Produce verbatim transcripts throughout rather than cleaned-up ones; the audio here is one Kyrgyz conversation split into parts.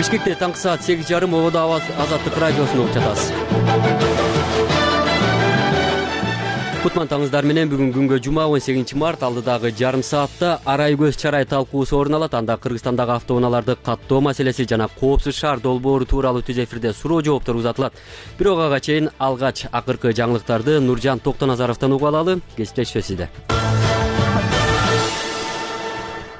Бишкекте таңкы саат сегиз жарым ободо Азаттык радиосун угуп жатасыз. Кутман таңыздар менен бүгүн күнгө жума он сегизинчи март алдыдагы жарым саатта арай көз чарай талкуусу орун алат. Анда Кыргызстандагы автоунааларды каттоо маселеси жана коопсуз шаар долбоору тууралуу түз эфирде суроо жооптор узатылат. Бирок ага чейин алгач акыркы жаңылыктарды Нуржан Токтоназаровдон угуп алалы. Кесиптешип сизде.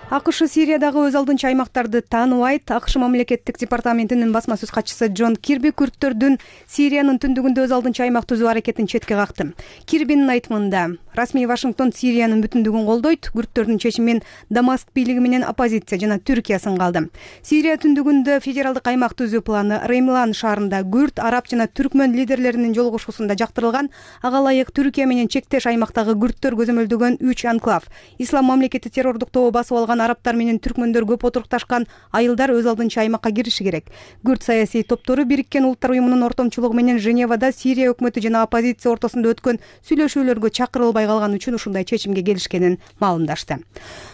АКШ Сириядагы өз алдынча аймактарды тааныбайт. АКШ мамлекеттик департаментинин басма сөз катчысы Джон Кирби күрттөрдүн Сириянын түндүгүндө өз алдынча аймак түзүү аракетин четке какты. Кирбинин айтымында, расмий Вашингтон Сириянын бүтүндүгүн колдойт. Күрттөрдүн чечимин Дамаск бийлиги менен оппозиция жана Түркия сынгалды. Сирия түндүгүндө федералдык аймак түзүү планы Реймлан шаарында күрт, араб жана түркмөн лидерлеринин жолугушуусунда жактырылган. Ага ылайык Түркия менен чектеш аймактагы күрттөр көзөмөлдөгөн үч анклав. Ислам мамлекети террордук тобу басып алган арабтар менен түркмөндөр көп отурукташкан айылдар өз алдынча аймакка кириши керек. Күрт саясий топтору Бириккен Улуттар уюмунун ортомчулугу менен Женевада Сирия өкмөтү жана оппозиция ортосунда өткөн сүйлөшүүлөргө чакырылбай калган үчүн ушундай чечимге келишкенин маалымдашты.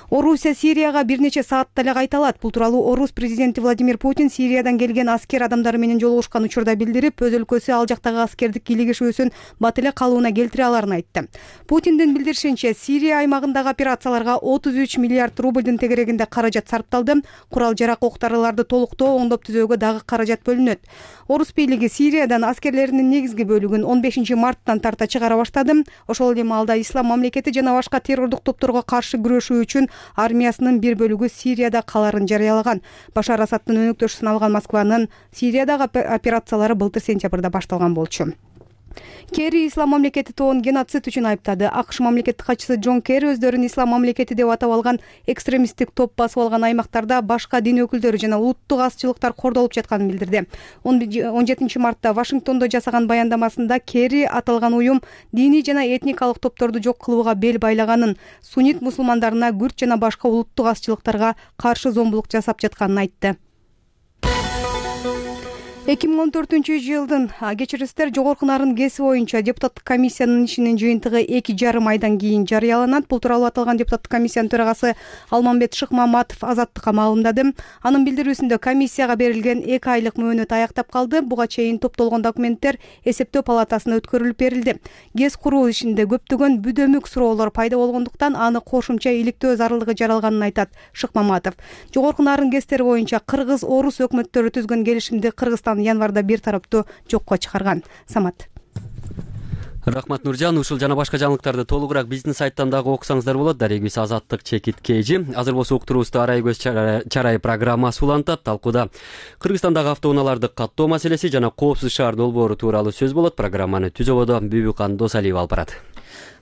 Орусия Сирияга бир нече саатта эле кайта алат. Бул тууралуу Орус президенти Владимир Путин Сириядан келген аскер адамдары менен жолугушкан учурда билдирип, өз өлкөсү ал жактагы аскердик кийлигишүүсүн бат эле калыбына келтире аларын айтты. Путиндин билдиришинче, Сирия аймагындагы операцияларга отуз үч миллиард рубльдын тегерегинде каражат сарпталды. Курал-жарак октарыларды толуктоо, оңдоп түзөөгө дагы каражат бөлүнөт. Орус бийлиги Сириядан аскерлеринин негизги бөлүгүн он бешинчи марттан тарта чыгара баштады. Ошол эле маалда Ислам мамлекети жана башка террордук топторго каршы күрөшүү үчүн армиясынын бир бөлүгү Сирияда каларын жарыялаган. Башар Асадтын өнөктөшүн алган Москванын Сириядагы операциялары былтыр сентябрда башталган болчу. Керри Ислам мамлекети тобун геноцид үчүн айыптады. АКШ мамлекеттик катчысы Джон Керри өздөрүн Ислам мамлекети деп атап алган экстремисттик топ басып алган аймактарда башка дин өкүлдөрү жана улуттук азчылыктар кордолуп жатканын билдирди. он жетинчи мартта Вашингтондо жасаган баяндамасында Керри аталган уюм диний жана этникалык топторду жок кылууга бел байлаганын, суннит мусулмандарына, күрт жана башка улуттук азчылыктарга каршы зомбулук жасап жатканын айтты. эки миң он төртүнчү жылдын кечиристер жогорку нарын ГЭСи боюнча депутаттык комиссиянын ишинин жыйынтыгы эки жарым айдан кийин жарыяланат. Бул тууралуу аталган депутаттык комиссиянын төрагасы Алмамбет Шыкмаматов Азаттыкка маалымдады. Анын билдирүүсүндө комиссияга берилген эки айлык мөөнөт аяктап калды. Буга чейин топтолгон документтер эсептөө палатасына өткөрүлүп берилди. ГЭС куруу ишинде көптөгөн бүдөмүк суроолор пайда болгондуктан аны кошумча иликтөө зарылдыгы жаралганын айтат Шыкмаматов. Жогорку нарын ГЭСтери боюнча кыргыз орус өкмөттөрү түзгөн келишимди Кыргызстан январда бир тараптуу жокко чыгарган. Самат. Рахмат Нуржан. Ушул жана башка жаңылыктарды толугураак биздин сайттан дагы окусаңыздар болот. Дарегибиз Азаттык чекит кежи. Азыр болсо уктуруубузду арай көз чарай программасы улантат. Талкууда Кыргызстандагы автоунааларды каттоо маселеси жана коопсуз шаар долбоору тууралуу сөз болот. Программаны түзөбодо Бүбүкан Досалиева алып барат.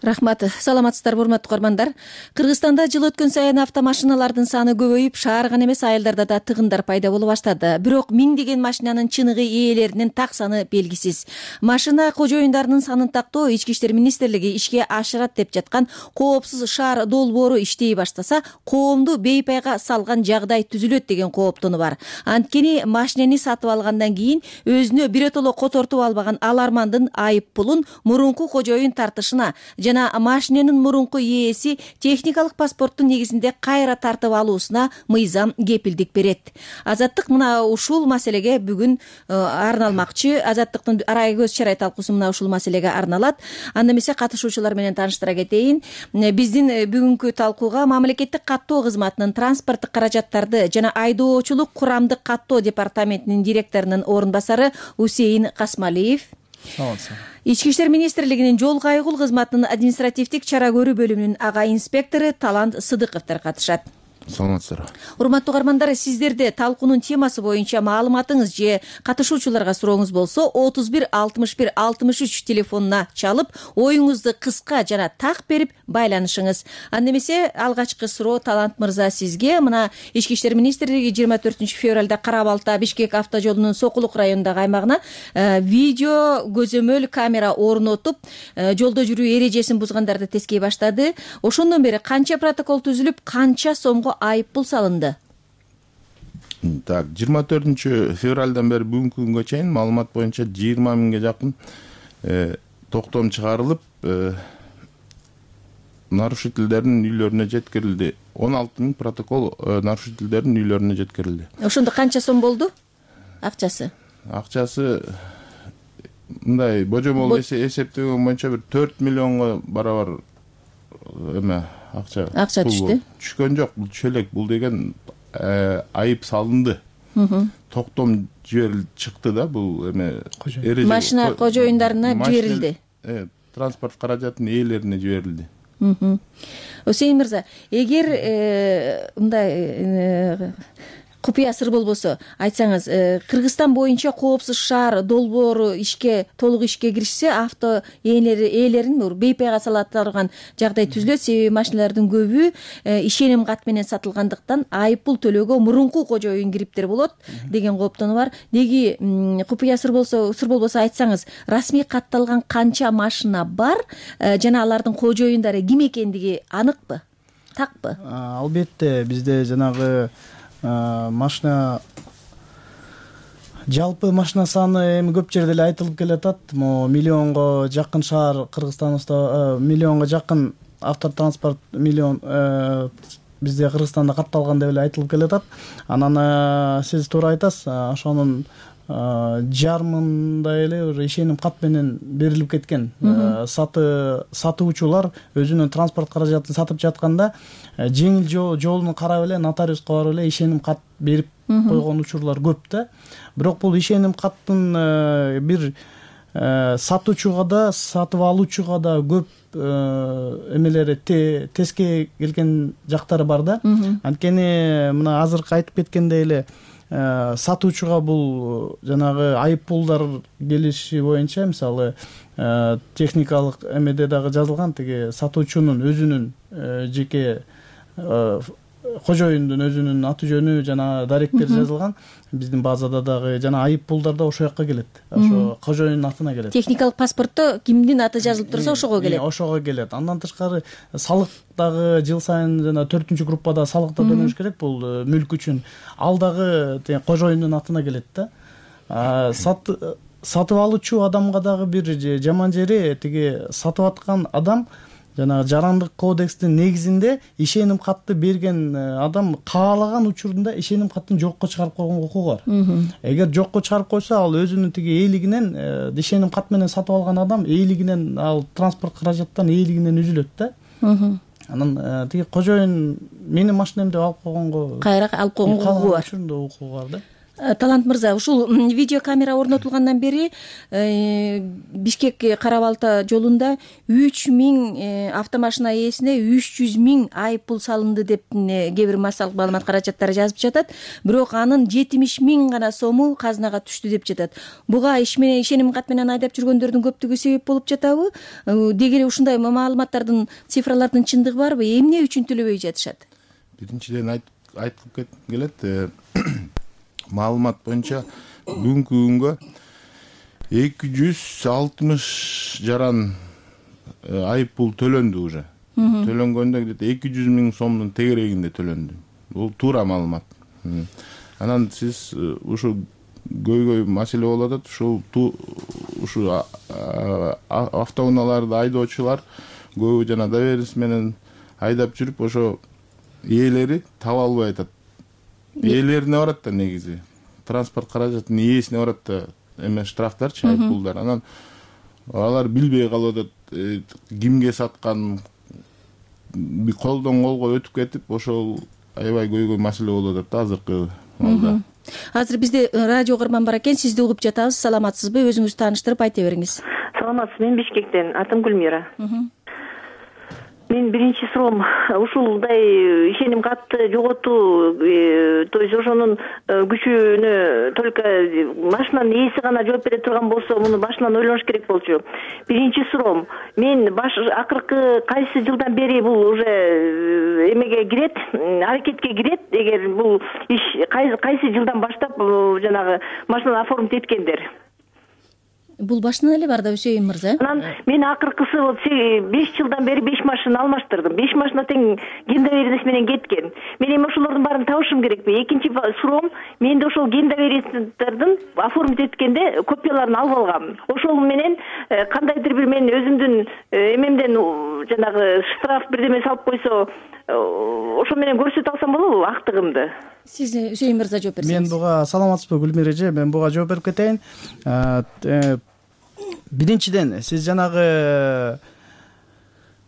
Рахмат. Саламатсыздарбы, урматтуу көрөрмандар. Кыргызстанда жыл өткөн сайын автомашиналардын саны көбөйүп, шаар гана эмес айылдарда да тыгындар пайда боло баштады. Бирок миңдеген машинанын чыныгы ээлеринин так саны белгисиз. Машина кожоюндарынын санын тактоо Ички иштер министрлиги ишке ашырат деп жаткан коопсуз шаар долбоору иштей баштаса, коомду бейпайга салган жагдай түзүлөт деген кооптону бар. Анткени машинени сатып алгандан кийин өзүнө биротоло котортуп албаган алармандын айып пулун мурунку кожоюн тартышына жана машиненин мурунку ээси техникалык паспорттун негизинде кайра тартып алуусуна мыйзам кепилдик берет. Азаттык мына ушул маселеге бүгүн арналмакчы. Азаттыктын арай көз чарай талкуусу мына ушул маселеге арналат. Анда эмесе катышуучулар менен тааныштыра кетейин. Биздин бүгүнкү талкууга мамлекеттик каттоо кызматынын транспорттук каражаттарды жана айдоочулук курамдык каттоо департаментинин директорунун орун басары Усейин Касмалиев, Ички иштер министрлигинин жол кайгул кызматынын административдик чара көрүү бөлүмүнүн ага инспектору Талант Сыдыковдор катышат. Саламатсыздар. Урматтуу каармандар, сиздерде талкуунун темасы боюнча маалыматыңыз же катышуучуларга сурооңуз болсо отуз бир алтымыш бир алтымыш үч телефонуна чалып, оюңузду кыска жана так берип байланышыңыз. Анда эмесе алгачкы суроо Талант мырза сизге. Мына Ички иштер министрлиги жыйырма төртүнчү февралда Кара Балта Бишкек автожолунун Сокулук районундагы аймагына видео көзөмөл камера орнотуп, жолдо жүрүү эрежесин бузгандарды тескей баштады. Ошондон бери канча протокол түзүлүп, канча сомго айып пул салынды? Так, жыйырма төртүнчү февралдан бери бүгүнкү күнгө чейин маалымат боюнча жыйырма миңге жакын токтом чыгарылып, нарушительдердин үйлөрүнө жеткирилди. он алты миң протокол нарушительдердин үйлөрүнө жеткирилди. Ошондо канча сом болду? акчасы акчасы мындай божомол эсептеген боюнча бир төрт миллионго барабар эме акча акча түштү. Түшкөн жок, бул түшө элек. Бул деген айып салынды. Токтом жиберилди, чыкты да бул эме машина кожоюндарына жиберилди. Э, транспорт каражатынын ээлерине жиберилди. Усейин мырза, эгер мындай купуя сыр болбосо айтсаңыз, Кыргызстан боюнча коопсуз шаар долбоору ишке толук ишке киришсе, авто ээлери ээлерин бейпайга сала турган жагдай түзүлөт. Себеби машиналардын көбү ишеним кат менен сатылгандыктан айып пул төлөөгө мурунку кожоюн кириптер болот деген кооптонуу бар. Деги купуя сыр болсо, сыр болбосо айтсаңыз, расмий катталган канча машина бар жана алардын кожоюндары ким экендиги аныкпы? Такпы? Албетте, бизде жанагы машина жалпы машина саны эми көп жерде эле айтылып келатат. Могу миллионго жакын шаар Кыргызстанда, миллионго жакын автотранспорт миллион бизде Кыргызстанда катталган деп эле айтылып келатат. Анан сиз туура айтасыз, ошонун жарымындай эле уже ишеним кат менен берилип кеткен. Саты сатуучулар өзүнүн транспорт каражатын сатып жатканда жеңил жолун карап эле нотариуска барып эле ишеним кат берип койгон учурлар көп да. Бирок бул ишеним каттын бир сатуучуга да, сатып алуучуга да көп эмелери теске келген жактары бар да. Анткени мына азыркы айтып кеткендей эле сатуучуга бул жанагы айып пулдар келиши боюнча, мисалы техникалык эмеде дагы жазылган, тиги сатуучунун өзүнүн жеке кожоюндун өзүнүн аты жөнү жана даректери жазылган. Биздин базада дагы жана айып пулдар да ошол жакка келет. Ошо кожоюндун атына келет. Техникалык паспортто кимдин аты жазылып турса ошого келет. Ошого келет. Андан тышкары салык дагы жыл сайын жана төртүнчү группада салык да төлөш керек бул мүлк үчүн. Ал дагы кожоюндун атына келет да. Сатып алуучу адамга дагы бир жаман жери, тиги сатып аткан адам жана жарандык кодекстин негизинде ишеним катты берген адам каалаган учурунда ишеним каттын жокко чыгарып койгонго укугу бар. Эгер жокко чыгарып койсо, ал өзүнүн тиги ээлигинен, ишеним кат менен сатып алган адам ээлигинен, ал транспорт каражаттан ээлигинен үзүлөт да. Анан тиги кожоюн менин машинем деп алып койгонго, кайра алып койгонго укугу бар. Ошондой укугу бар да. Талант мырза, ушул видео камера орнотулгандан бери Бишкек Кара Балта жолунда үч миң автомашина ээсине үч жүз миң айып пул салынды деп кээ бир массалык маалымат каражаттары жазып жатат. Бирок анын жетимиш миң гана сому казынага түштү деп жатат. Буга иш менен ишеним кат менен айдап жүргөндөрдүн көптүгү себеп болуп жатабы? Деги эле ушундай маалыматтардын, цифралардын чындыгы барбы? Эмне үчүн төлөбөй жатышат? Биринчиден айтылып келет, маалымат боюнча бүгүнкү күнгө эки жүз алтымыш жаран айып пул төлөндү уже. Төлөнгөндө где-то эки жүз миң сомдун тегерегинде төлөндү. Бул туура маалымат. Анан сиз ушу көйгөй маселе болуп атат. Ушул ушу автоунааларды айдоочулар көбү жана доверенность менен айдап жүрүп, ошо ээлери таба албай атат. Ээлерине барат да негизи. Транспорт каражатынын ээсине барат да эме штрафтарчы, айып пулдар. Анан алар билбей калып атат, кимге саткан, колдон колго өтүп кетип, ошол аябай көйгөй маселе болуп атат да азыркы маалда. Азыр бизде радио кырман бар экен, сизди угуп жатабыз. Саламатсызбы? Өзүңүздү тааныштырып айта бериңиз. Саламатсыз, мен Бишкектен, атым Гүлмира. Мен биринчи суроом ушулдай ишеним катты жоготуу, то есть ошонун күчүнө только машинанын ээси гана жооп бере турган болсо, муну башынан ойлош керек болчу. Биринчи суроом, мен баш акыркы кайсы жылдан бери бул уже эмеге кирет, аракетке кирет, эгер бул иш кайсы жылдан баштап жанагы машинаны оформить эткендер? Бул башынан эле бар да, Үсейин мырза. Анан мен акыркысы беш жылдан бери беш машина алмаштырдым. беш машина тең ген доверенность менен кеткен. Мен эми ошолордун баарын табышым керекпи? Экинчи суроом, менде ошол ген доверенностьтардын оформить эткенде копияларын алып алгам. Ошол менен кандайдыр бир мен өзүмдүн эмемден жанагы штраф бирдеме салып койсо, ошо менен көрсөтө алсам болобу актыгымды? сиз Үсейин мырза жооп берсеңиз. Мен буга саламатсызбы Гүлмира эже, мен буга жооп берип кетейин. Биринчиден сиз жанагы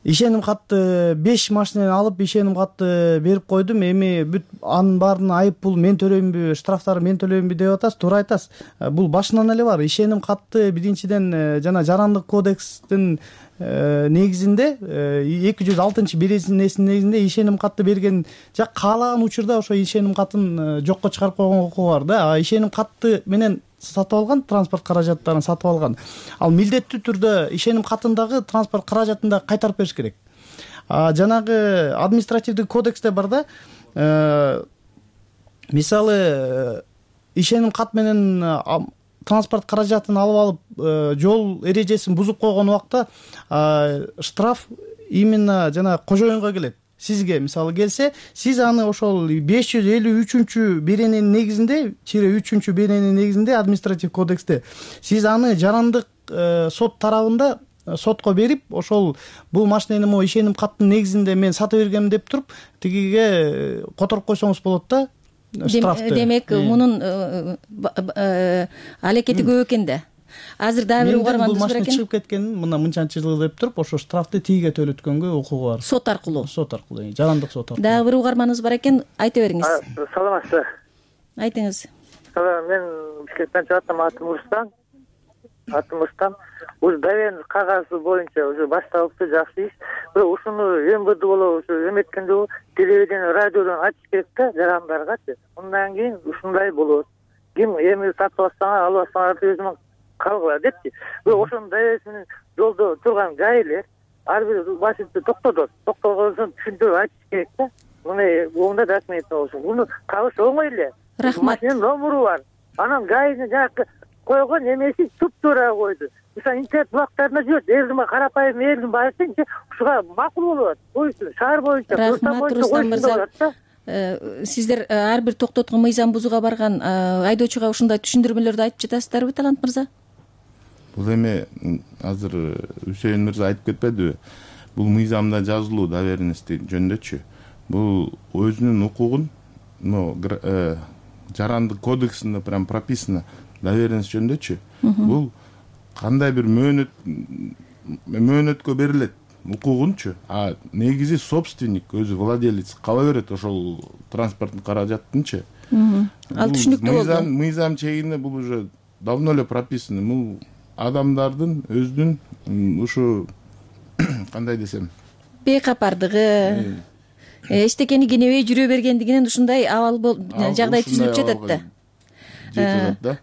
ишеним катты беш машинени алып ишеним катты берип койдум, эми бүт анын баарын айып пул мен төлөймүнбү, штрафтарды мен төлөймүнбү деп атасыз. Туура айтасыз. Бул башынан эле бар. Ишеним катты биринчиден жана жарандык кодекстин негизинде эки жүз алтынчы беренесинин негизинде ишеним катты берген жак каалаган учурда ошо ишеним катын жокко чыгарып койгонго укугу бар да. Ишеним катты менен сатып алган, транспорт каражаттарын сатып алган, ал милдеттүү түрдө ишеним катындагы транспорт каражатын да кайтарып бериш керек. Жанагы административдик кодексте бар да, мисалы ишеним кат менен транспорт каражатын алып алып жол эрежесин бузуп койгон убакта штраф именно жана кожоюнга келет. Сизге мисалы келсе, сиз аны ошол беш жүз элүү үчүнчү берененин негизинде, чире үчүнчү берененин негизинде административ кодексте сиз аны жарандык сот тарабында сотко берип, ошол бул машинени могу ишеним каттын негизинде мен сатып бергем деп туруп, тигиге которуп койсоңуз болот да штрафты. Демек, мунун алекети көп экен да. Азыр дагы бир угарманыбыз бар экен. Бул машина чыгып кеткенин мына мынчанчы жыл деп туруп, ошо штрафты тигиге төлөткөнгө укугу бар. Сот аркылуу. Сот аркылуу, жарандык сот аркылуу. Дагы бир угарманыбыз бар экен, айта бериңиз. Саламатсызбы? Айтыңыз. Мен Бишкектен чыгып аттым, атым Рустам. Атым Рустам. Уз доверенность кагазы боюнча уже башталыпты, жакшы иш. Бирок ушуну МВД болобу, ушу эметкенде телевидение, радиодон ачыш керек да жарандаргачы. Андан кийин ушундай болот. Ким эми сатып алсаңар, алып алсаңар өзүмөн калгыла депчи. Бирок ошонун доверенностьни жолдо турган гаилер ар бир машинаны токтотот. Токтогондон түшүндүрүп айтыш керек да. Мына онда рахмет болсун. Муну табыш оңой эле. Рахмат. Машинанын номуру бар. Анан гаинин жакы койгон эмеси туп-туура койду. Мисалы интернет булактарына жүрөт, элдин карапайым элдин баардыгы ушуга макул болот. Боюнча шаар боюнча, Рахмат, Рустам мырза. Сиздер ар бир токтоткон мыйзам бузууга барган айдоочуга ушундай түшүндүрмөлөрдү айтып жатасыздарбы, Талант мырза? Бул эми азыр Үсейин мырза айтып кетпедиби? Бул мыйзамда жазылуу доверенность жөнүндөчү. Бул өзүнүн укугун, ну, жарандык кодексинде прям прописано доверенность жөнүндөчү. Бул кандай бир мөөнөт мөөнөткө берилет укугунчу, а негизи собственник, өзү владелец кала берет ошол транспорттун каражаттынчы. Ал түшүнүктүү болду. Мыйзам чегинде бул уже давно эле прописано. Бул адамдардын өзүнүн ушу кандай десем, бейкапардыгы, эчтекени кенебей жүрө бергендигинен ушундай абал жагдай түзүлүп жатат да.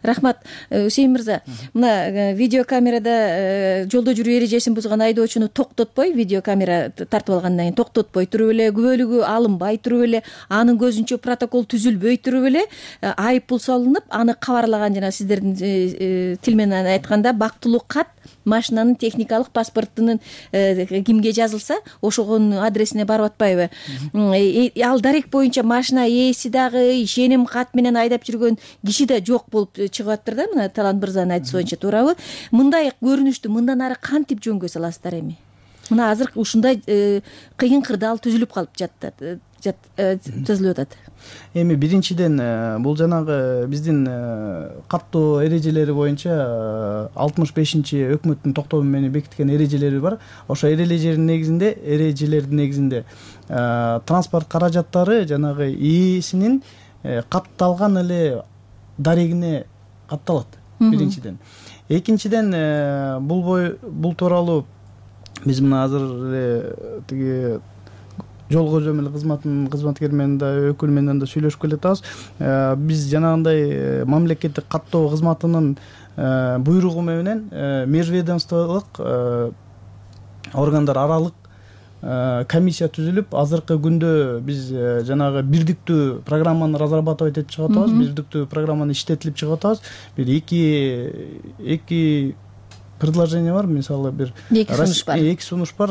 Рахмат. Үсейин мырза, мына видеокамерада жолдо жүрүү эрежесин бузган айдоочуну токтотпой, видеокамера тартып алгандан кийин токтотпой туруп эле, күбөлүгү алынбай туруп эле, анын көзүнчө протокол түзүлбөй туруп эле айып пул салынып, аны кабарлаган, жана сиздердин тил менен айтканда бактылуу кат машинанын техникалык паспортунун кимге жазылса, ошогонун адресине барып атпайбы? Ал дарек боюнча машина ээси дагы, ишеним кат менен айдап жүргөн киши да жок болуп чыгып атыптыр да, мына Талант мырзанын айтышы боюнча, туурабы? Мындай көрүнүштү мындан ары кантип жөнгө саласыздар эми? Мына азыр ушундай кыйын кырдаал түзүлүп калып жатат, түзүлүп атат. Эми биринчиден бул жанагы биздин каттоо эрежелери боюнча алтымыш бешинчи өкмөттүн токтому менен бекиткен эрежелери бар. Ошо эрежелердин негизинде, эрежелердин негизинде транспорт каражаттары жанагы ээсинин катталган эле дарегине катталат. Биринчиден. Экинчиден бул бой бул тууралуу биз мына азыр эле тиги жол көзөмөл кызматынын кызматкери менен да, өкүл менен да сүйлөшүп келатабыз. Биз жанагындай мамлекеттик каттоо кызматынын буйругу менен межведомстволук органдар аралык комиссия түзүлүп, азыркы күндө биз жанагы бирдиктүү программаны разрабатывать этип чыгып атабыз, бирдиктүү программаны иштетилип чыгып атабыз. Бир эки эки предложение бар, мисалы бир эки сунуш бар. Эки сунуш бар.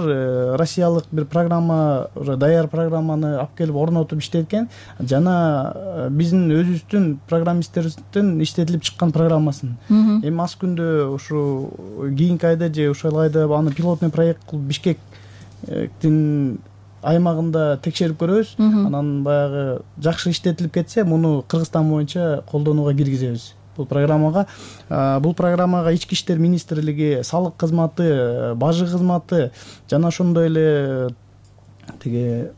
Россиялык бир программа, уже даяр программаны алып келип орнотуп иштеткен, жана биздин өзүбүздүн программисттерибиздин иштетилип чыккан программасын. Эми аз күндө ушу кийинки айда же ушул айда аны пилотный проект кылып Бишкектин аймагында текшерип көрөбүз, анан баягы жакшы иштетилип кетсе муну Кыргызстан боюнча колдонууга киргизебиз. Бул программага бул программага ички иштер министрлиги, салык кызматы, бажы кызматы жана ошондой эле тиги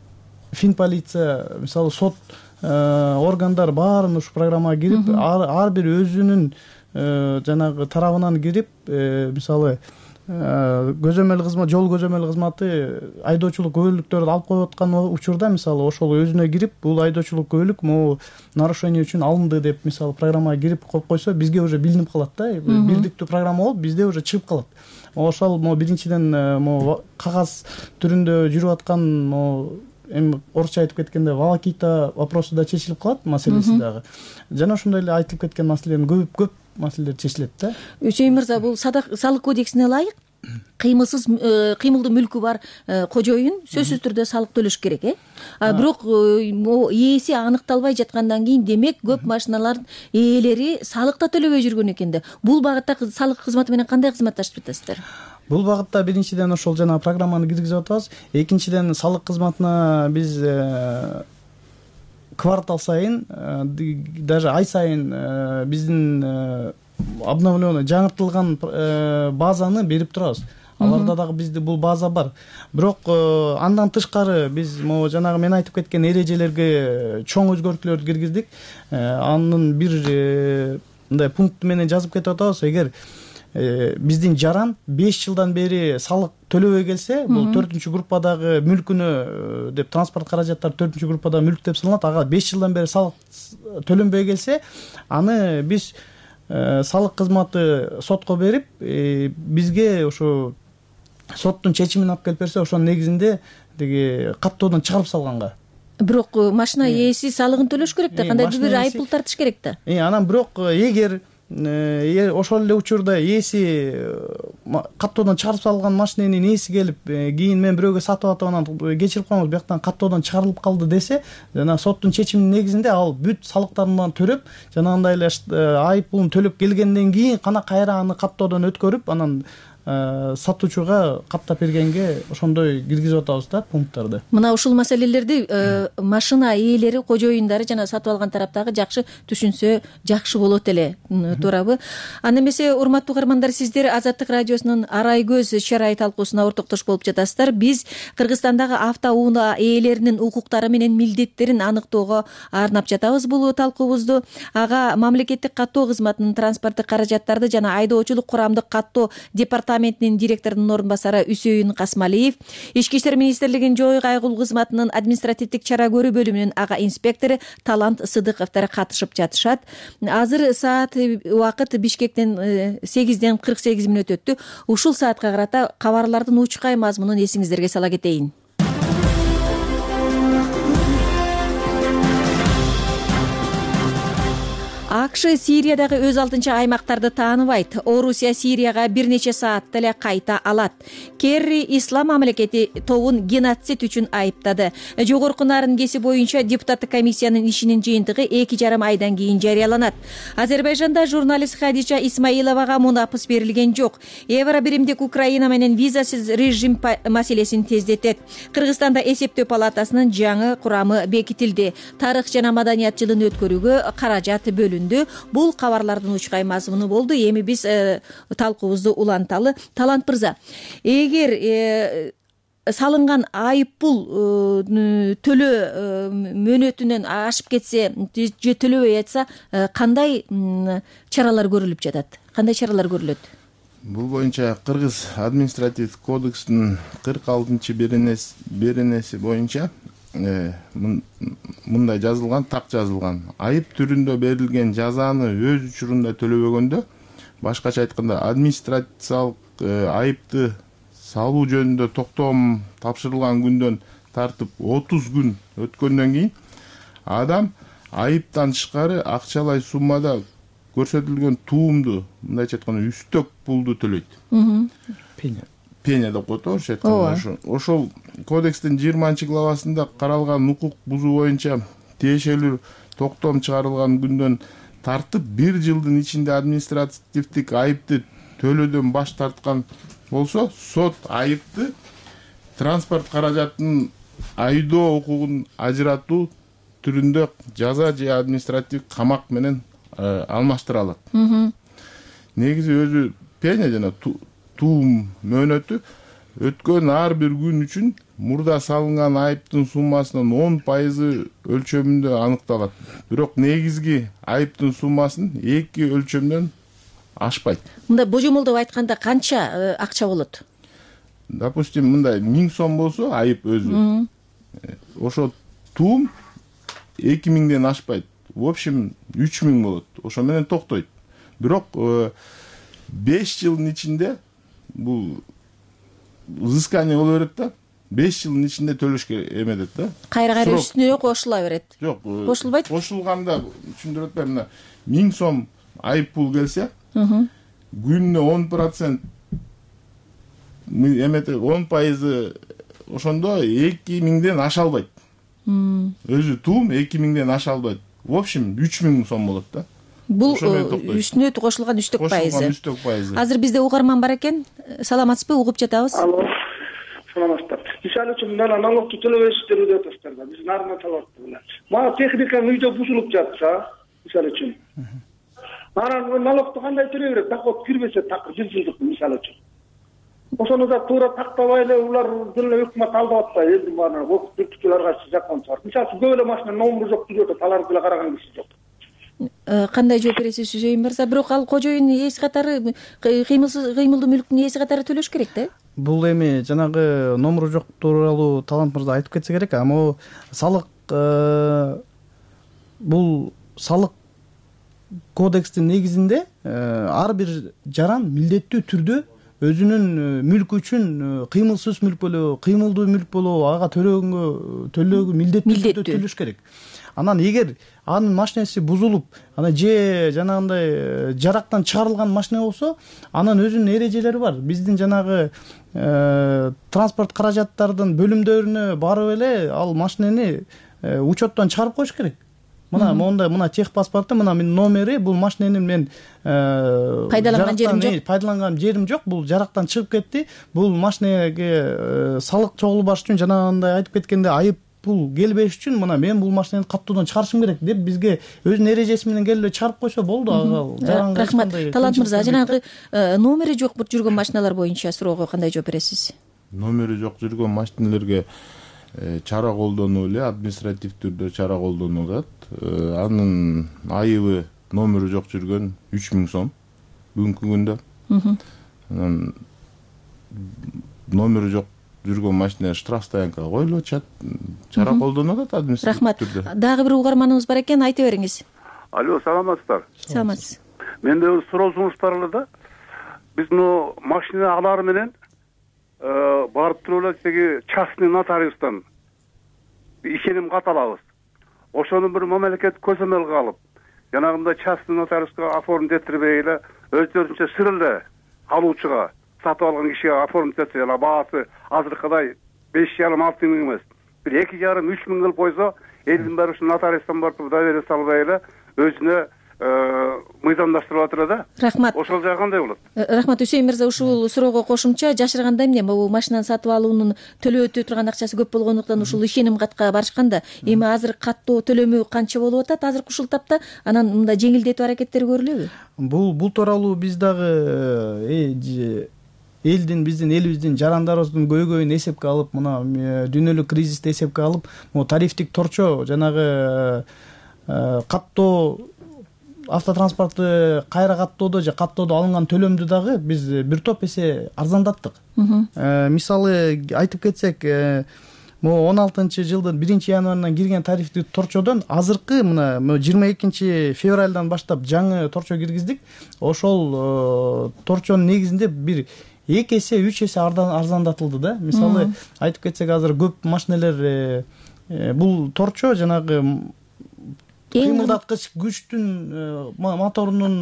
Финполиция, мисалы сот органдар баарын ушул программага кирип, ар бир өзүнүн жанагы тарабынан кирип, мисалы көзөмөл кызмат, жол көзөмөл кызматы айдоочулук күбөлүктөрдү алып коюп аткан учурда мисалы ошол өзүнө кирип, бул айдоочулук күбөлүк могу нарушение үчүн алынды деп мисалы программага кирип коюп койсо, бизге уже билинип калат да, бирдиктүү программа болуп бизде уже чыгып калат. Ошол могу биринчиден могу кагаз түрүндө жүрүп аткан могу эми орусча айтып кеткенде волокита вопросу да чечилип калат, маселеси дагы. Жана ошондой эле айтылып кеткен маселелердин көп көп маселелер чечилет да. Үчөйүн мырза, бул салык кодексине ылайык кыймылсыз кыймылдуу мүлкү бар кожоюн сөзсүз түрдө салык төлөш керек, э? А бирок ээси аныкталбай жаткандан кийин демек көп машиналардын ээлери салык да төлөбөй жүргөн экен да. Бул багытта салык кызматы менен кандай кызматташып жатасыздар? Бул багытта биринчиден ошол жана программаны киргизип атабыз. Экинчиден салык кызматына биз квартал сайын, даже ай сайын биздин обновленный, жаңыртылган базаны берип турабыз. Аларда дагы бизде бул база бар. Бирок андан тышкары биз могу жанагы мен айтып кеткен эрежелерге чоң өзгөртүүлөрдү киргиздик. Анын бир мындай пункт менен жазып кетип атабыз. Эгер биздин жаран беш жылдан бери салык төлөбөй келсе, бул төртүнчү группадагы мүлкүнө деп, транспорт каражаттары төртүнчү группадагы мүлк деп саналат. Ага беш жылдан бери салык төлөнбөй келсе, аны биз салык кызматы сотко берип, бизге ошо соттун чечимин алып келип берсе, ошонун негизинде тиги каттоодон чыгарып салганга. Бирок машина ээси салыгын төлөш керек да, кандайдыр бир айыппул тартыш керек да. Анан бирок эгер ошол эле учурда ээси каттоодон чыгарып салган машиненин ээси келип, кийин мен бирөөгө сатып атып анан кечирип коюңуз, бияктан каттоодон чыгарылып калды десе, жана соттун чечиминин негизинде ал бүт салыктарын төлөп, жанагындай эле айыппулун төлөп келгенден кийин гана кайра аны каттоодон өткөрүп, анан сатуучуга каттап бергенге ошондой киргизип атабыз да пункттарды. Мына ушул маселелерди машина ээлери, кожоюндары жана сатып алган тараптагы жакшы түшүнсө жакшы болот эле, туурабы? Анда эмесе, урматтуу угармандар, сиздер Азаттык радиосунун Арай көз чарай талкуусуна ортоктош болуп жатасыздар. Биз Кыргызстандагы автоунаа ээлеринин укуктары менен милдеттерин аныктоого арнап жатабыз бул талкуубузду. Ага мамлекеттик каттоо кызматынын транспорттук каражаттарды жана айдоочулук курамдык каттоо департаментинин директорунун орун басары Үсөйүн Касмалиев, Ички иштер министрлигинин жоо кайгылуу кызматынын административдик чара көрүү бөлүмүнүн ага инспектору Талант Сыдыковдор катышып жатышат. Азыр саат убакыт Бишкектен сегизден кырк сегиз мүнөт өттү. Ушул саатка карата кабарлардын учкай мазмунун эсиңиздерге сала кетейин. АКШ Сириядагы өз алдынча аймактарды тааныбайт. Орусия Сирияга бир нече саатта эле кайта алат. Керри Ислам мамлекети тобун геноцид үчүн айыптады. Жогорку Нарын-Кеси боюнча депутаттык комиссиянын ишинин жыйынтыгы эки жарым айдан кийин жарыяланат. Азербайжанда журналист Хадича Исмаиловага мунапыс берилген жок. Евробиримдик Украина менен визасыз режим маселесин тездетет. Кыргызстанда эсептөө палатасынын жаңы курамы бекитилди. Тарых жана маданият жылын өткөрүүгө каражат бөлүндү. Бул кабарлардын учкай мазмуну болду. Эми биз талкуубузду уланталы. Талант мырза, эгер салынган айыппул төлөө мөөнөтүнөн ашып кетсе же төлөбөй жатса, кандай чаралар көрүлүп жатат? Кандай чаралар көрүлөт? Бул боюнча Кыргыз административдик кодекстин кырк алтынчы беренеси боюнча мындай жазылган, так жазылган. Айып түрүндө берилген жазаны өз учурунда төлөбөгөндө, башкача айтканда администрациялык айыпты салуу жөнүндө токтом тапшырылган күндөн тартып отуз күн өткөндөн кийин адам айыптан тышкары акчалай суммада көрсөтүлгөн туумду, мындайча айтканда үстөк пулду төлөйт. Пеня. Пеня деп коет орусча айтканда. Ошол кодекстин жыйырманчы главасында каралган укук бузуу боюнча тиешелүү токтом чыгарылган күндөн тартып бир жылдын ичинде административдик айыпты төлөөдөн баш тарткан болсо, сот айыпты транспорт каражатынын айдоо укугун ажыратуу түрүндө жаза же административдик камак менен алмаштыра алат. Негизи өзү пеня жана туум мөөнөтү өткөн ар бир күн үчүн мурда салынган айыптын суммасынын он пайызы өлчөмүндө аныкталат. Бирок негизги айыптын суммасын эки өлчөмдөн ашпайт. Мындай божомолдоп айтканда канча акча болот? Допустим, мындай миң сом болсо айып өзү. Ошо туум эки миңден ашпайт. В общем, үч миң болот. Ошо менен токтойт. Бирок беш жылдын ичинде бул взыскание боло берет да. беш жылдын ичинде төлөшкө эмедет да. Кайра-кайра үстүнө кошула берет. Жок, кошулбайт. Кошулганда түшүндүрүп атпайм, мына миң сом айып пул келсе, күнүнө он процент эмете он пайызы ошондо эки миңден аша албайт. Өзү туум эки миңден аша албайт. В общем, үч миң сом болот да. Бул үстүнө кошулган үстөк пайызы. Кошулган үстөк пайызы. Азыр бизде угарман бар экен. Саламатсызбы? Угуп жатабыз. Алло. Саламатсыздар. Мисалы үчүн мына налогду төлөбөйсүздөр деп атасыздар да. Биз нарына талаптыр мына. Мага техника үйдө бузулуп жатса, мисалы үчүн. Анан налогду кандай төлөй берет? Доход кирбесе так бир жылдык мисалы үчүн. Ошону да туура тактабай эле улар деле өкмөт алдап атпайбы? Элдин баарына окуп бүктүлөр кайсы жакон чыгар. Мисалы үчүн көп эле машина номеру жок жүрөт, аларды деле караган киши жок. Кандай жооп бересиз Сүзөйүн мырза? Бирок ал кожоюн ээси катары, кыймылсыз кыймылдуу мүлктүн ээси катары төлөш керек да? Бул эми жанагы номеру жок тууралуу Талант мырза айтып кетсе керек. Ама салык бул салык кодекстин негизинде ар бир жаран милдеттүү түрдө өзүнүн мүлкү үчүн кыймылсыз мүлк болобу, кыймылдуу мүлк болобу ага төлөгөнгө төлөөгө милдеттүү түрдө төлөш керек. Анан эгер анын машинеси бузулуп, анан же жанагындай жарактан чыгарылган машина болсо, анын өзүнүн эрежелери бар. Биздин жанагы транспорт каражаттардын бөлүмдөрүнө барып эле ал машинени учеттон чыгарып коюш керек. Мына мондай мына тех паспорту, мына менин номери, бул машиненин мен пайдаланган жерим жок. Пайдаланган жерим жок. Бул жарактан чыгып кетти. Бул машинеге салык чогулбаш үчүн жанагындай айтып кеткенде айып пул келбеш үчүн мына мен бул машинени каттуудан чыгарышым керек деп бизге өзүнүн эрежеси менен келип эле чыгарып койсо болду. Ага рахмат. Талант мырза, жанагы номери жок жүргөн машиналар боюнча суроого кандай жооп бересиз? Номери жок жүргөн машиналерге чара колдонуп эле административ түрдө чара колдонулат. Анын айыбы номери жок жүргөн үч миң сом бүгүнкү күндө. Анан номери жок жүргөн машина штраф стоянкага коюлуп атышат. Чара колдонулат административ түрдө. Рахмат. Дагы бир угарманыбыз бар экен, айта бериңиз. Алло, саламатсыздар. Саламатсыз. Менде бир суроосуңуз бар эле да. Биз муну машина алар менен барып туруп эле тиги частный нотариустан ишеним кат алабыз. Ошону бир мамлекет көзөмөлгө алып, жанагындай частный нотариуска оформить этирбей эле өздөрүнчө сыр эле алуучуга, сатып алган кишиге оформить этсе эле баасы азыркыдай беш жарым алты миң эмес, бир эки жарым үч миң кылып койсо, элдин баары ушу нотариустан барып доверие салбай эле өзүнө мыйзамдаштырып атыр да. Рахмат. Ошол жагы кандай болот? Рахмат Үсейин мырза, ушул суроого кошумча жашырганда эмне, бул машинаны сатып алуунун төлөп өтө турган акчасы көп болгондуктан ушул ишеним катка барышканда, эми азыр каттоо төлөмү канча болуп атат азыркы ушул тапта? Анан мындай жеңилдетүү аракеттери көрүлөбү? Бул бул тууралуу биз дагы элдин, биздин элибиздин жарандарыбыздын көйгөйүн эсепке алып, мына дүйнөлүк кризисти эсепке алып, могу тарифтик торчо жанагы каттоо автотранспортты кайра каттоодо же каттоодо алынган төлөмдү дагы биз бир топ эсе арзандаттык. Мисалы айтып кетсек, могу он алтынчы жылдын биринчи январынан кирген тарифтик торчодон азыркы мына жыйырма экинчи февралдан баштап жаңы торчо киргиздик. Ошол торчонун негизинде бир эки эсе үч эсе арзандатылды да. Мисалы айтып кетсек, азыр көп машинелер бул торчо жанагы кыймылдаткыч күчтүн моторунун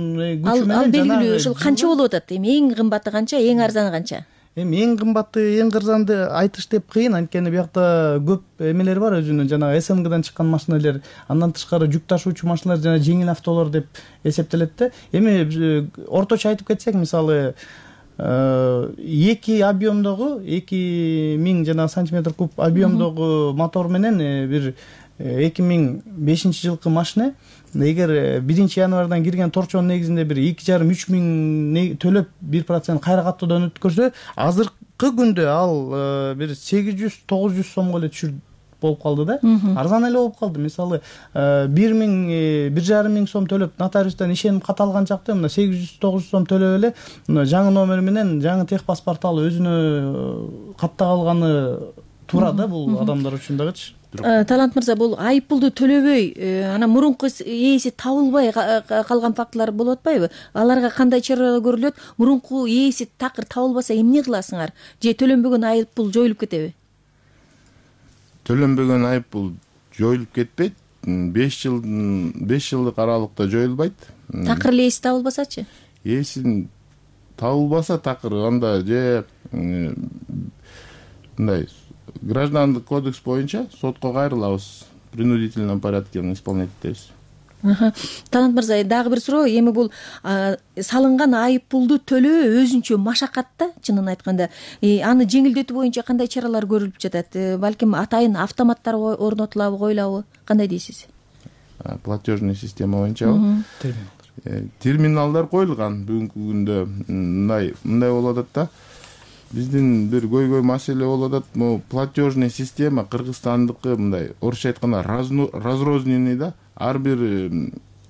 күчү менен ал белгилүү. Ушул канча болуп атат? Эми эң кымбаты канча, эң арзаны канча? Эми эң кымбаты, эң арзанды айтыш деп кыйын, анткени биякта көп эмелер бар, өзүнүн жанагы СМГдан чыккан машинелер, андан тышкары жүк ташуучу машиналар жана жеңил автолор деп эсептелет да. Эми орточо айтып кетсек, мисалы эки объемдогу эки миң жанагы сантиметр куб объемдогу мотор менен бир эки миң бешинчи жылкы машина эгер биринчи январдан кирген торчонун негизинде бир эки жарым үч миң төлөп бир процент кайра каттоодон өткөрсө азыркы күндө ал бир сегиз жүз тогуз жүз сомго эле түшүр болуп калды да. Арзан эле болуп калды. Мисалы бир миң бир жарым миң сом төлөп нотариустан ишеним кат алган жакта мына сегиз жүз тогуз жүз сом төлөп эле мына жаңы номер менен жаңы тех паспорт алып өзүнө каттап алганы туура да бул адамдар үчүн дагычы. Талант мырза, бул айып пулду төлөбөй анан мурунку ээси табылбай калган фактылар болуп атпайбы? Аларга кандай чаралар көрүлөт? Мурунку ээси такыр табылбаса эмне кыласыңар? Же төлөнбөгөн айып пул жоюлуп кетеби? Төлөнбөгөн айып пул жоюлуп кетпейт. беш жыл беш жылдык аралыкта жоюлбайт. Такыр эле ээси табылбасачы? Ээси табылбаса такыр анда же мындай Граждандык кодекс боюнча сотко кайрылабыз, в принудительном порядке исполнять этебиз. Талант мырза, дагы бир суроо, эми бул салынган айып пулду төлөө өзүнчө машакат да, чынын айтканда. Аны жеңилдетүү боюнча кандай чаралар көрүлүп жатат? Балким атайын автоматтар орнотулабы, коюлабы? Кандай дейсиз? Платежный система боюнчабы? Терминалдар коюлган бүгүнкү күндө. Мындай мындай болуп атат да. Биздин бир көйгөй маселе болуп атат. Могу платежный система Кыргызстандыкы мындай орусча айтканда разрозненный да. Ар бир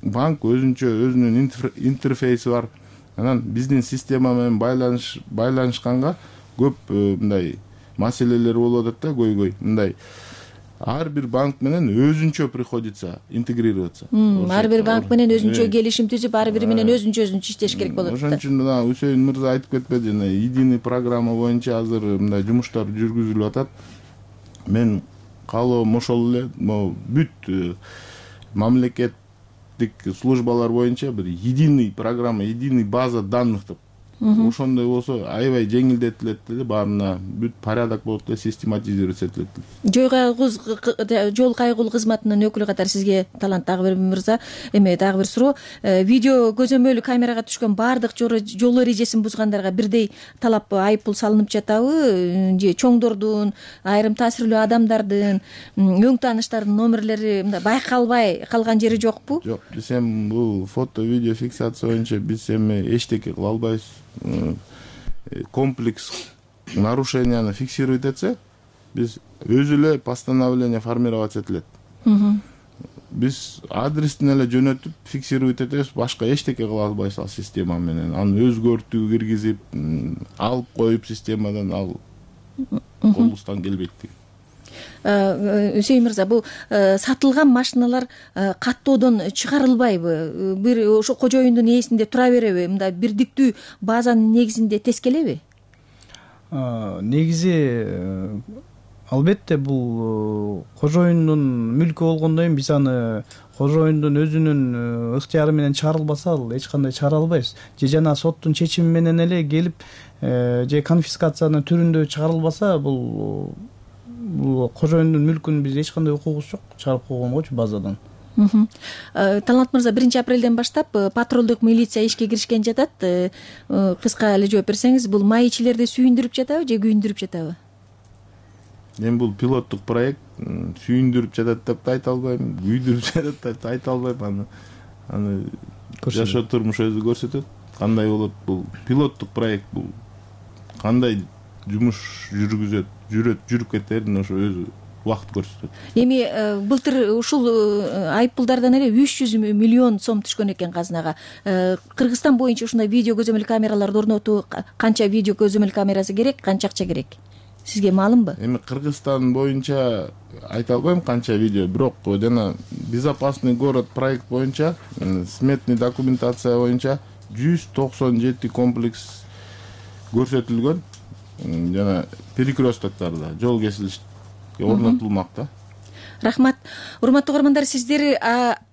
банк өзүнчө өзүнүн интерфейси бар. Анан биздин система менен байланыш байланышканга көп мындай маселелер болуп атат да, көйгөй. Мындай ар бир банк менен өзүнчө приходится интегрироваться. Ар бир банк менен өзүнчө келишим түзүп, ар бири менен өзүнчө өзүнчө иштеш керек болот. Ошон үчүн мына Үсейин мырза айтып кетпеди, единый программа боюнча азыр мындай жумуштар жүргүзүлүп атат. Мен каалоом ошол эле могу бүт мамлекеттик службалар боюнча бир единый программа, единый база данных деп. Ошондой болсо аябай жеңилдетилет эле, баарына бүт порядок болуп эле систематизировать этилет. Жол кайгыл жол кайгыл кызматынын өкүлү катары сизге Талант дагы бир мырза, эми дагы бир суроо. Видео көзөмөл камерага түшкөн баардык жол эрежесин бузгандарга бирдей талап айып пул салынып жатабы? Же чоңдордун, айрым таасирлүү адамдардын, өң тааныштардын номерлери мындай байкалбай калган жери жокпу? Жок, биз эми бул фото видео фиксация боюнча биз эми эчтеке кыла албайбыз. Комплекс нарушенияны фиксировать этсе, биз өзү эле постановление формировать этилет. Биз адрестин эле жөнөтүп фиксировать этебиз, башка эчтеке кыла албайбыз ал система менен. Аны өзгөртүү киргизип, алып коюп системадан ал колубуздан келбейт. Үсейин мырза, бул сатылган машиналар каттоодон чыгарылбайбы? Бир ошо кожоюндун ээсинде тура береби? Мындай бирдиктүү базанын негизинде тескелеби? Негизи албетте бул кожоюндун мүлкү болгондон кийин биз аны кожоюндун өзүнүн ыктыяры менен чыгарылбаса ал эч кандай чыгара албайбыз. Же жана соттун чечими менен эле келип же конфискациянын түрүндө чыгарылбаса бул бул кожоюндун мүлкүн биз эч кандай укугубуз жок чыгарып койгонгочу базадан. Талант мырза, биринчи апрелден баштап патрулдук милиция ишке киришкен жатат. Кыска эле жооп берсеңиз, бул майчилерди сүйүндүрүп жатабы же күйүндүрүп жатабы? Мен бул пилоттук проект, сүйүндүрүп жатат деп да айта албайм, күйдүрүп жатат деп да айта албайм. Аны аны жашоо турмуш өзү көрсөтөт. Кандай болот бул пилоттук проект, бул кандай жумуш жүргүзөт, жүрөт, жүрүп кетерин ошо өзү убакыт көрсөтөт. Эми былтыр ушул айып пулдардан эле үч жүз миллион сом түшкөн экен казынага. Кыргызстан боюнча ушундай видео көзөмөл камераларды орнотуу канча видео көзөмөл камерасы керек, канча акча керек? Сизге маалымбы? Эми Кыргызстан боюнча айта албайм канча видео, бирок жана безопасный город проект боюнча, сметный документация боюнча жүз токсон жети комплекс көрсөтүлгөн. Жана перекрёстоктарда жол кесилиш орнотулмак да. Рахмат. Урматтуу көрөрмандар, сиздер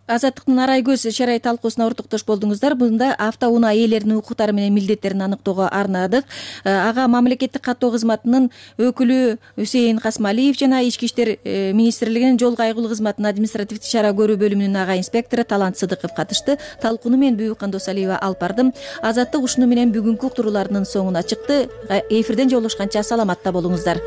Азаттыктын арай көз чарай талкуусуна ортоктош болдуңуздар. Мында автоунаа ээлеринин укуктары менен милдеттерин аныктоого арнадык. Ага мамлекеттик каттоо кызматынын өкүлү Үсейин Касмалиев жана Ички иштер министрлигинин жол кайгылуу кызматынын административдик ишара көрүү бөлүмүнүн ага инспектору Талант Сыдыков катышты. Талкууну мен Бүйүк Кандосалиева алып бардым. Азаттык ушуну менен бүгүнкү уктурууларынын соңуна чыкты. Эфирден жолугушканча саламатта болуңуздар.